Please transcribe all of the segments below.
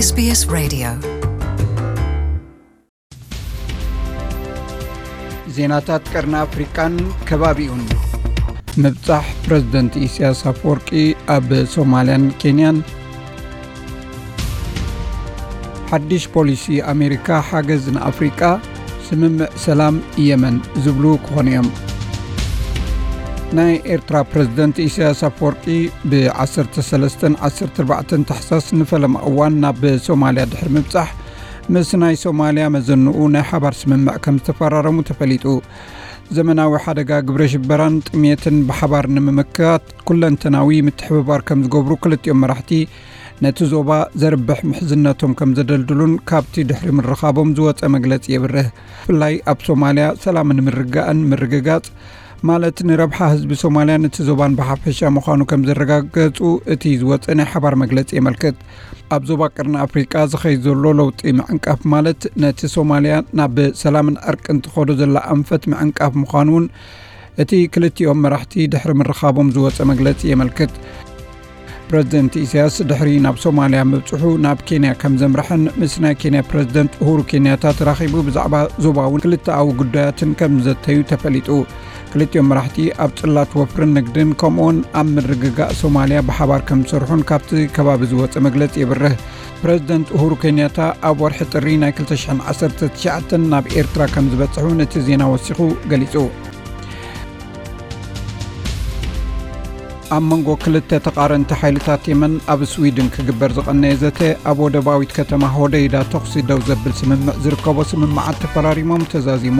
SBS Radio. ዜናታት ቀርኒ ኣፍሪቃን ከባቢኡን። ምብጻሕ ፕረዚደንት ኢሳያስ ኣፈወርቂ ኣብ ሶማልያን ኬንያን። ሓድሽ ፖሊሲ ኣሜሪካ ሓገዝ ንኣፍሪቃ፣ ስምምዕ ሰላም የመን ዝብሉ ክኾኑ እዮም። ናይ ኤርትራ ፕረዚደንት ኢሳያስ ኣፈወርቂ ብ13ን 14ን ታሕሳስ ንፈለማ እዋን ናብ ሶማልያ ድሕሪ ምብጻሕ፣ ምስ ናይ ሶማልያ መዘንኡ ናይ ሓባር ስምምዕ ከም ዝተፈራረሙ ተፈሊጡ። ዘመናዊ ሓደጋ ግብረ ሽበራን ጥሜትን ብሓባር ንምምካት ኩለንተናዊ ምትሕብባር ከም ዝገብሩ ክልቲኦም መራሕቲ ነቲ ዞባ ዘርብሕ ምሕዝነቶም ከም ዘደልድሉን ካብቲ ድሕሪ ምርኻቦም ዝወጸ መግለጺ የብርህ። ብፍላይ ኣብ ሶማልያ ሰላምን ምርጋእን ምርግጋጽ ማለት ንረብሓ ህዝቢ ሶማልያን እቲ ዞባን ብሓፈሻ ምዃኑ ከም ዘረጋገጹ እቲ ዝወጸ ናይ ሓባር መግለጺ የመልክት። ኣብ ዞባ ቀርኒ ኣፍሪቃ ዝኸይድ ዘሎ ለውጢ ምዕንቃፍ ማለት ነቲ ሶማልያ ናብ ሰላምን ዕርቅን ትኸዶ ዘላ ኣንፈት ምዕንቃፍ ምዃኑ እውን እቲ ክልቲኦም መራሕቲ ድሕሪ ምርኻቦም ዝወጸ መግለጺ የመልክት። ፕረዚደንት ኢሳያስ ድሕሪ ናብ ሶማልያ ምብጽሑ ናብ ኬንያ ከም ዘምርሐን ምስ ናይ ኬንያ ፕረዚደንት ኡሁሩ ኬንያታ ተራኺቡ ብዛዕባ ዞባውን ክልተኣዊ ጉዳያትን ከም ዘተዩ ተፈሊጡ። ክልቲኦም መራሕቲ ኣብ ጽላት ወፍርን ንግድን ከምኡውን ኣብ ምርግጋእ ሶማልያ ብሓባር ከም ዝሰርሑን ካብቲ ከባቢ ዝወጸ መግለጺ የብርህ። ፕረዚደንት ኡሁሩ ኬንያታ ኣብ ወርሒ ጥሪ ናይ 2019 ናብ ኤርትራ ከም ዝበጽሑ ነቲ ዜና ወሲኹ ገሊጹ። ኣብ መንጎ ክልተ ተቓረንቲ ሓይልታት የመን ኣብ ስዊድን ክግበር ዝቐነየ ዘተ ኣብ ወደባዊት ከተማ ሆደይዳ ተኹሲ ደው ዘብል ስምምዕ ዝርከቦ ስምምዓት ተፈራሪሞም ተዛዚሙ።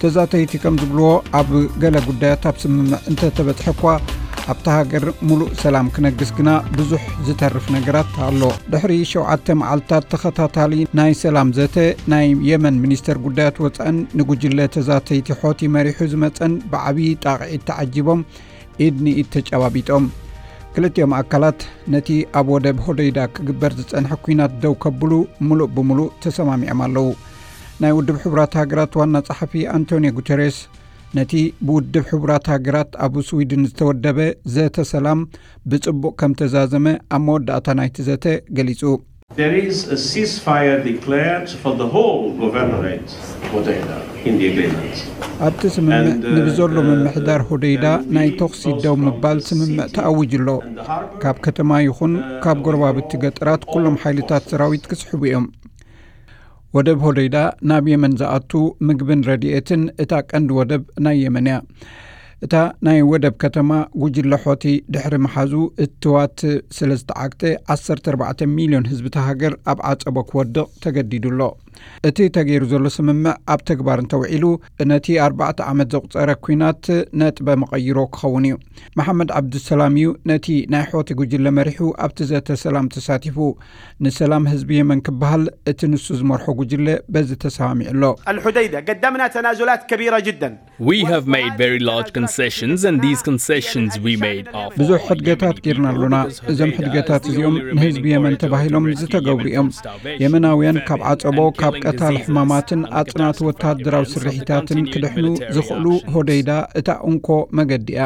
ተዛተይቲ ከም ዝብልዎ ኣብ ገለ ጉዳያት ኣብ ስምምዕ እንተተበጽሐ እኳ ኣብታ ሃገር ሙሉእ ሰላም ክነግስ ግና ብዙሕ ዝተርፍ ነገራት ኣሎ። ድሕሪ ሸውዓተ መዓልታት ተኸታታሊ ናይ ሰላም ዘተ ናይ የመን ሚኒስተር ጉዳያት ወጻእን ንጉጅለ ተዛተይቲ ሖቲ መሪሑ ዝመጸን ብዓብዪ ጣቕዒት ተዓጂቦም ኢድ ንኢድ ተጨባቢጦም። ክልቲኦም ኣካላት ነቲ ኣብ ወደብ ሆደይዳ ክግበር ዝጸንሐ ኲናት ደው ከብሉ ምሉእ ብምሉእ ተሰማሚዖም ኣለዉ። ናይ ውድብ ሕቡራት ሃገራት ዋና ጸሓፊ ኣንቶኒዮ ጉተሬስ ነቲ ብውድብ ሕቡራት ሃገራት ኣብ ስዊድን ዝተወደበ ዘተ ሰላም ብጽቡቕ ከም ተዛዘመ ኣብ መወዳእታ ናይቲ ዘተ ገሊጹ። There is a ceasefire declared for the whole governorate, Hodeidah, in the agreement. ኣብቲ ስምምዕ ንብዘሎ ምምሕዳር ሆደይዳ ናይ ተኹሲ ደው ምባል ስምምዕ ተኣዊጁ ኣሎ። ካብ ከተማ ይኹን ካብ ጎረባብቲ ገጠራት ኩሎም ሓይልታት ሰራዊት ክስሕቡ እዮም። ወደብ ሆደይዳ ናብ የመን ዝኣቱ ምግብን ረድኤትን እታ ቀንዲ ወደብ ናይ የመን እያ። እታ ናይ ወደብ ከተማ ጉጅለ ሖቲ ድሕሪ ምሓዙ እትዋት ስለ ዝተዓግተ 14 ሚልዮን ህዝቢ እታ ሃገር ኣብ ዓጸቦ ክወድቕ ተገዲዱ ኣሎ። እቲ ተገይሩ ዘሎ ስምምዕ ኣብ ተግባር እንተውዒሉ ነቲ ኣርባዕተ ዓመት ዘቑጸረ ኲናት ነጥበ መቐይሮ ክኸውን እዩ። መሓመድ ዓብዱሰላም እዩ ነቲ ናይ ሖቲ ጉጅለ መሪሑ ኣብቲ ዘተ ሰላም ተሳቲፉ። ንሰላም ህዝቢ የመን ክበሃል እቲ ንሱ ዝመርሖ ጉጅለ በዚ ተሰማሚዑ ኣሎ። الحديدة قدمنا تنازلات كبيرة جدا. We have made very large concessions, and these concessions we made are for ብዙሕ ሕድገታት ጌርና ኣሎና። እዞም ሕድገታት እዚኦም ንህዝቢ የመን ተባሂሎም ዝተገብሩ እዮም። የመናውያን ካብ ዓጸቦ፣ ካብ ቀታሊ ሕማማትን ኣጽናቲ ወተሃደራዊ ስርሒታትን ክድሕኑ ዝኽእሉ ሆደይዳ እታ እንኮ መገዲ እያ።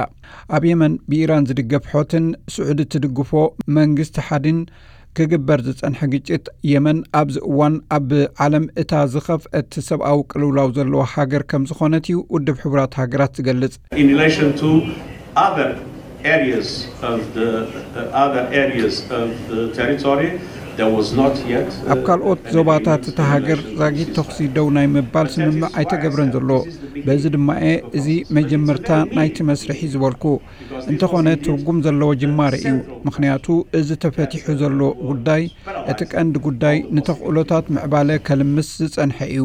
ኣብ የመን ብኢራን ዝድገፍ ሖትን ስዑዲ ትድግፎ መንግስቲ ሓዲን ክግበር ዝጸንሐ ግጭት የመን ኣብዚ እዋን ኣብ ዓለም እታ ዝኸፍአት ሰብኣዊ ቅልውላው ዘለዋ ሃገር ከም ዝኾነት እዩ ውድብ ሕቡራት ሃገራት ዝገልጽ። In relation to other areas of the uh, other areas of the territory, there was not yet. Uh, ኣብ ካልኦት ዞባታት እታ ሃገር ዛጊት ተኹሲ ደው ናይ ምባል ስምምዕ ኣይተገብረን ዘሎ። በዚ ድማ እየ እዚ መጀመርታ ናይቲ መስርሕ እዩ ዝበልኩ። እንተኾነ ትርጉም ዘለዎ ጅማረ እዩ። ምኽንያቱ እዚ ተፈቲሑ ዘሎ ጉዳይ እቲ ቀንዲ ጉዳይ ንተኽእሎታት ምዕባለ ከልምስ ዝጸንሐ እዩ።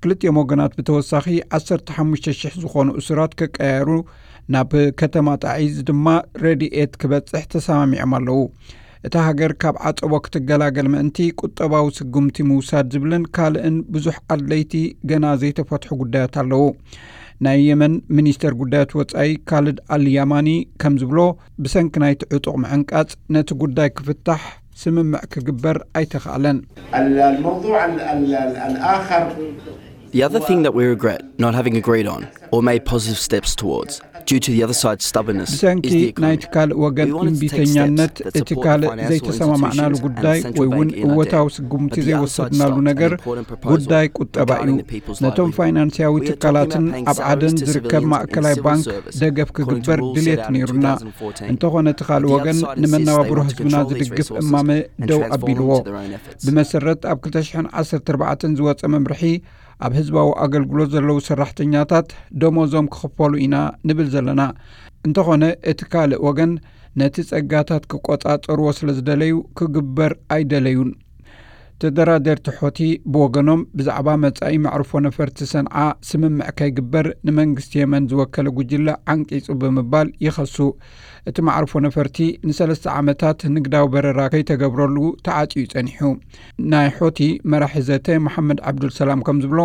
ክልቲኦም ወገናት ብተወሳኺ 15,000 ዝኾኑ እሱራት ክቀያየሩ፣ ናብ ከተማ ጣዒዝ ድማ ረድኤት ክበጽሕ ተሰማሚዖም ኣለዉ። እታ ሃገር ካብ ዓጸቦ ክትገላገል ምእንቲ ቁጠባዊ ስጉምቲ ምውሳድ ዝብልን ካልእን ብዙሕ ኣድለይቲ ገና ዘይተፈትሑ ጉዳያት ኣለዉ። ናይ የመን ሚኒስተር ጉዳያት ወጻኢ ካልድ ኣል ያማኒ ከም ዝብሎ፣ ብሰንኪ ናይቲ ዕጡቕ ምዕንቃጽ ነቲ ጉዳይ ክፍታሕ ስምምዕ ክግበር ኣይተኻእለን። الموضوع الآخر The other thing that we regret not having agreed on or made positive steps towards, due to the other side's stubbornness, ብሰንኪ ናይቲ ካልእ ወገን እምቢተኛነት፣ እቲ ካልእ ዘይተሰማማዕናሉ ጉዳይ ወይ እውን እወታዊ ስጉምቲ ዘይወሰድናሉ ነገር ጉዳይ ቁጠባ እዩ። ነቶም ፋይናንስያዊ ትካላትን ኣብ ዓደን ዝርከብ ማእከላይ ባንክ ደገፍ ክግበር ድልየት ነይሩና። እንተኾነ እቲ ካልእ ወገን ንመነባብሮ ህዝብና ዝድግፍ እማመ ደው ኣቢልዎ። ብመሰረት ኣብ ክልተ ሽሕን ዓሰርተ ኣርባዕተን ዝወጸ መምርሒ፣ ኣብ ህዝባዊ ኣገልግሎት ዘለዉ ሰራሕተኛታት ደሞዞም ክኽፈሉ ኢና ንብል ዘለና። እንተኾነ እቲ ካልእ ወገን ነቲ ጸጋታት ክቆጻጸርዎ ስለ ዝደለዩ ክግበር ኣይደለዩን። ተደራደርቲ ሖቲ ብወገኖም ብዛዕባ መጻኢ መዕርፎ ነፈርቲ ሰንዓ ስምምዕ ከይግበር ንመንግስቲ የመን ዝወከለ ጉጅለ ዓንቂጹ ብምባል ይኸሱ። እቲ መዓርፎ ነፈርቲ ንሰለስተ ዓመታት ንግዳዊ በረራ ከይተገብረሉ ተዓጽዩ ጸኒሑ። ናይ ሖቲ መራሒ ዘተ መሓመድ ዓብዱልሰላም ከም ዝብሎ፣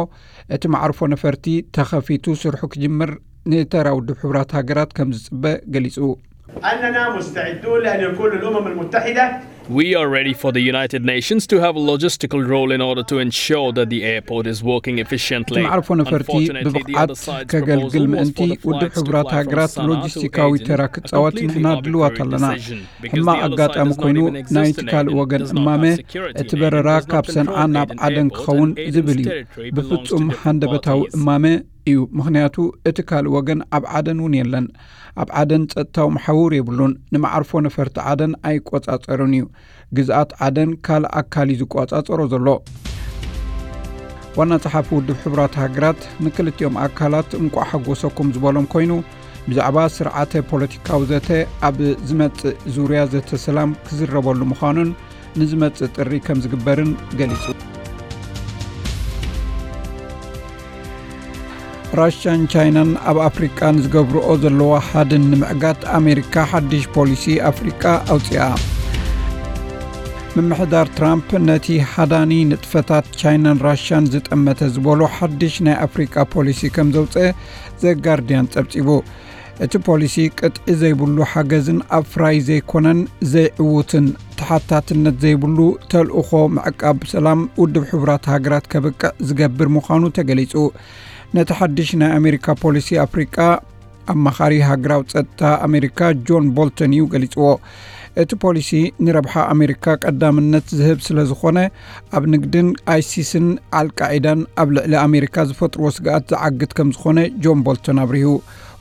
እቲ መዓርፎ ነፈርቲ ተኸፊቱ ስርሑ ክጅምር ንተራ ውድብ ሕቡራት ሃገራት ከም ዝጽበ ገሊጹ። أننا مستعدون لأن يكون للأمم المتحدة We are ready for the United Nations to have a logistical role in order to ensure that the airport is working efficiently. እቲ መዕርፎ ነፈርቲ ብብቕዓት ከገልግል ምእንቲ ውድብ ሕቡራት ሃገራት ሎጂስቲካዊ ተራ ክጻወት ንሕና ድልዋት ኣለና። ሕማቕ ኣጋጣሚ ኮይኑ ናይቲ ካልእ ወገን እማመ እቲ በረራ ካብ ሰንዓ ናብ ዓደን ክኸውን ዝብል እዩ። ብፍጹም ሃንደበታዊ እማመ እዩ፣ ምኽንያቱ እቲ ካልእ ወገን ኣብ ዓደን እውን የለን። ኣብ ዓደን ጸጥታዊ መሓውር የብሉን። ንመዓርፎ ነፈርቲ ዓደን ኣይቆጻጸርን እዩ። ግዝኣት ዓደን ካልእ ኣካል እዩ ዝቆጻጸሮ ዘሎ። ዋና ጸሓፊ ውድብ ሕቡራት ሃገራት ንክልቲኦም ኣካላት እንቋዕ ሓጎሰኩም ዝበሎም ኮይኑ፣ ብዛዕባ ስርዓተ ፖለቲካዊ ዘተ ኣብ ዝመጽእ ዙርያ ዘተ ሰላም ክዝረበሉ ምዃኑን ንዝመጽእ ጥሪ ከም ዝግበርን ገሊጹ። ራሽያን ቻይናን ኣብ ኣፍሪቃ ንዝገብርኦ ዘለዋ ሓድን ንምዕጋት ኣሜሪካ ሓድሽ ፖሊሲ ኣፍሪቃ ኣውጺኣ። ምምሕዳር ትራምፕ ነቲ ሓዳኒ ንጥፈታት ቻይናን ራሽያን ዝጠመተ ዝበሎ ሓድሽ ናይ ኣፍሪቃ ፖሊሲ ከም ዘውጽአ ዘጋርድያን ጸብጺቡ። እቲ ፖሊሲ ቅጥዒ ዘይብሉ ሓገዝን ኣፍራይ ዘይኮነን ዘይዕዉትን ተሓታትነት ዘይብሉ ተልእኾ ምዕቃብ ሰላም ውድብ ሕቡራት ሃገራት ከብቅዕ ዝገብር ምዃኑ ተገሊጹ። ነቲ ሓድሽ ናይ ኣሜሪካ ፖሊሲ ኣፍሪቃ ኣማኻሪ ሃገራዊ ጸጥታ ኣሜሪካ ጆን ቦልተን እዩ ገሊጽዎ። እቲ ፖሊሲ ንረብሓ ኣሜሪካ ቀዳምነት ዝህብ ስለ ዝኾነ፣ ኣብ ንግድን ኣይሲስን ኣልቃዒዳን ኣብ ልዕሊ ኣሜሪካ ዝፈጥርዎ ስግኣት ዝዓግት ከም ዝኾነ ጆን ቦልተን ኣብሪሁ።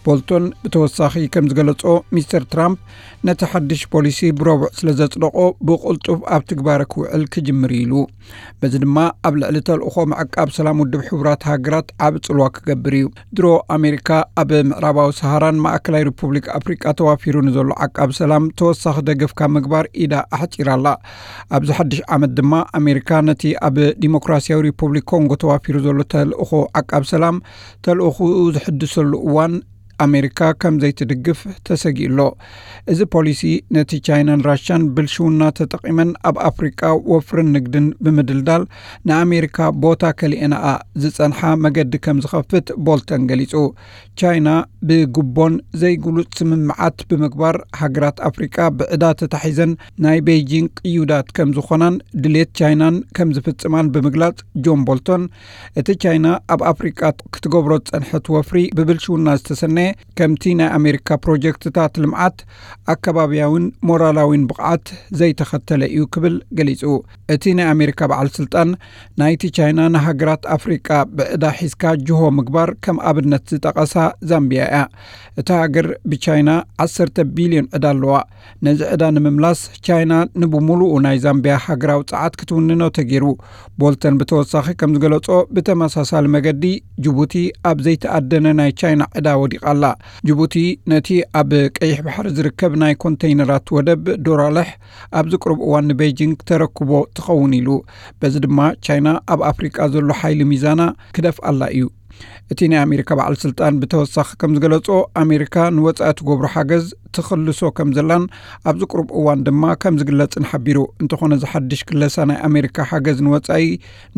ቦልቶን ብተወሳኺ ከም ዝገለጾ፣ ሚስተር ትራምፕ ነቲ ሓድሽ ፖሊሲ ብረቡዕ ስለ ዘጽደቖ ብቕልጡፍ ኣብ ትግባረ ክውዕል ክጅምር እዩ ኢሉ። በዚ ድማ ኣብ ልዕሊ ተልእኾ ምዕቃብ ሰላም ውድብ ሕቡራት ሃገራት ዓቢ ጽልዋ ክገብር እዩ። ድሮ ኣሜሪካ ኣብ ምዕራባዊ ሰሃራን ማእከላይ ሪፑብሊክ ኣፍሪቃ ተዋፊሩ ንዘሎ ዓቃብ ሰላም ተወሳኺ ደገፍ ካብ ምግባር ኢዳ ኣሕጺራ ኣላ። ኣብዚ ሓድሽ ዓመት ድማ ኣሜሪካ ነቲ ኣብ ዲሞክራሲያዊ ሪፑብሊክ ኮንጎ ተዋፊሩ ዘሎ ተልእኾ ዓቃብ ሰላም ተልእኾኡ ዝሕድሰሉ እዋን ኣሜሪካ ከም ዘይትድግፍ ተሰጊኡ ኣሎ። እዚ ፖሊሲ ነቲ ቻይናን ራሽያን ብልሽውና ተጠቒመን ኣብ ኣፍሪቃ ወፍርን ንግድን ብምድልዳል ንኣሜሪካ ቦታ ከሊኤናኣ ዝጸንሓ መገዲ ከም ዝኸፍት ቦልተን ገሊጹ። ቻይና ብግቦን ዘይግሉጽ ስምምዓት ብምግባር ሃገራት ኣፍሪቃ ብዕዳ ተታሒዘን ናይ ቤይጂንግ ቅዩዳት ከም ዝኾናን ድሌት ቻይናን ከም ዝፍጽማን ብምግላጽ ጆን ቦልቶን እቲ ቻይና ኣብ ኣፍሪቃ ክትገብሮ ዝጸንሐት ወፍሪ ብብልሽውና ዝተሰነየ ከምቲ ናይ ኣሜሪካ ፕሮጀክትታት ልምዓት ኣከባብያዊን ሞራላዊን ብቕዓት ዘይተኸተለ እዩ ክብል ገሊጹ። እቲ ናይ ኣሜሪካ በዓል ስልጣን ናይቲ ቻይና ንሃገራት ኣፍሪቃ ብዕዳ ሒዝካ ጅሆ ምግባር ከም ኣብነት ዝጠቐሳ ዛምቢያ እያ። እታ ሃገር ብቻይና ዓሰርተ ቢልዮን ዕዳ ኣለዋ። ነዚ ዕዳ ንምምላስ ቻይና ንብሙሉኡ ናይ ዛምቢያ ሃገራዊ ጸዓት ክትውንኖ ተገይሩ። ቦልተን ብተወሳኺ ከም ዝገለጾ ብተመሳሳሊ መገዲ ጅቡቲ ኣብ ዘይተኣደነ ናይ ቻይና ዕዳ ወዲቓ ኣላ። ጅቡቲ ነቲ ኣብ ቀይሕ ባሕሪ ዝርከብ ናይ ኮንተይነራት ወደብ ዶራለሕ ኣብዚ ቅሩብ እዋን ንቤይጂንግ ተረክቦ ትኸውን ኢሉ። በዚ ድማ ቻይና ኣብ ኣፍሪቃ ዘሎ ሓይሊ ሚዛና ክደፍኣላ እዩ። እቲ ናይ ኣሜሪካ በዓል ስልጣን ብተወሳኺ ከም ዝገለጾ፣ ኣሜሪካ ንወጻኢ ትገብሮ ሓገዝ ትኽልሶ ከም ዘላን ኣብዚ ቅሩብ እዋን ድማ ከም ዝግለጽን ሓቢሩ። እንተኾነ፣ እዚ ሓድሽ ክለሳ ናይ ኣሜሪካ ሓገዝ ንወጻኢ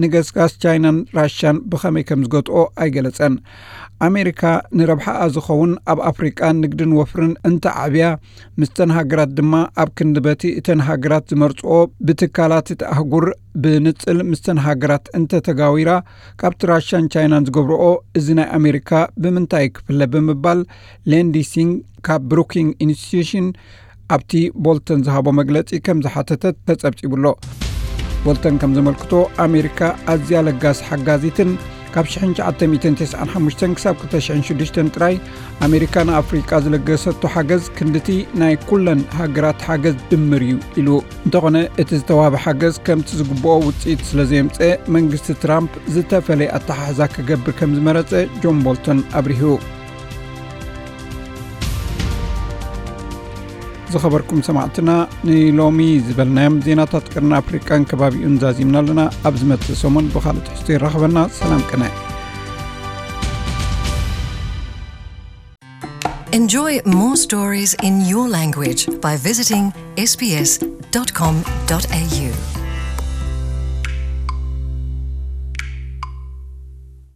ንገስጋስ ቻይናን ራሽያን ብኸመይ ከም ዝገጥኦ ኣይገለጸን። ኣሜሪካ ንረብሓኣ ዝኸውን ኣብ ኣፍሪቃ ንግድን ወፍርን እንተዓብያ፣ ምስተን ሃገራት ድማ ኣብ ክንዲ በቲ እተን ሃገራት ዝመርጽኦ ብትካላት እቲ ኣህጉር ብንጽል ምስተን ሃገራት እንተተጋዊራ፣ ካብቲ ራሽያን ቻይናን ዝገብርኦ እዚ ናይ ኣሜሪካ ብምንታይ ክፍለ ብምባል፣ ሌንዲ ሲንግ ካብ ብሩኪንግ ኢንስቲትዩሽን ኣብቲ ቦልተን ዝሃቦ መግለጺ ከም ዝሓተተት ተጸብጺቡሎ። ቦልተን ከም ዘመልክቶ፣ ኣሜሪካ ኣዝያ ለጋስ ሓጋዚትን ካብ ሽሕን ትሽዓተ ሚእትን ተስዓን ሓሙሽተን ክሳብ ክልተ ሽሕን ሽዱሽተን ጥራይ ኣሜሪካ ንኣፍሪቃ ዝለገሰቶ ሓገዝ ክንድቲ ናይ ኩለን ሃገራት ሓገዝ ድምር እዩ ኢሉ። እንተኾነ፣ እቲ ዝተዋህበ ሓገዝ ከምቲ ዝግብኦ ውጽኢት ስለ ዘየምጸ፣ መንግስቲ ትራምፕ ዝተፈለየ ኣተሓሕዛ ክገብር ከም ዝመረጸ ጆን ቦልተን ኣብሪሁ። ዝኸበርኩም ሰማዕትና፣ ንሎሚ ዝበልናዮም ዜናታት ቅርኒ ኣፍሪቃን ከባቢኡን ዛዚምና ኣለና። ኣብ ዝመጽእ ሰሙን ብኻልእ ትሕዝቶ ይራኸበና። ሰላም ቅነ። Enjoy more stories in your language by visiting s b s dot com dot a u.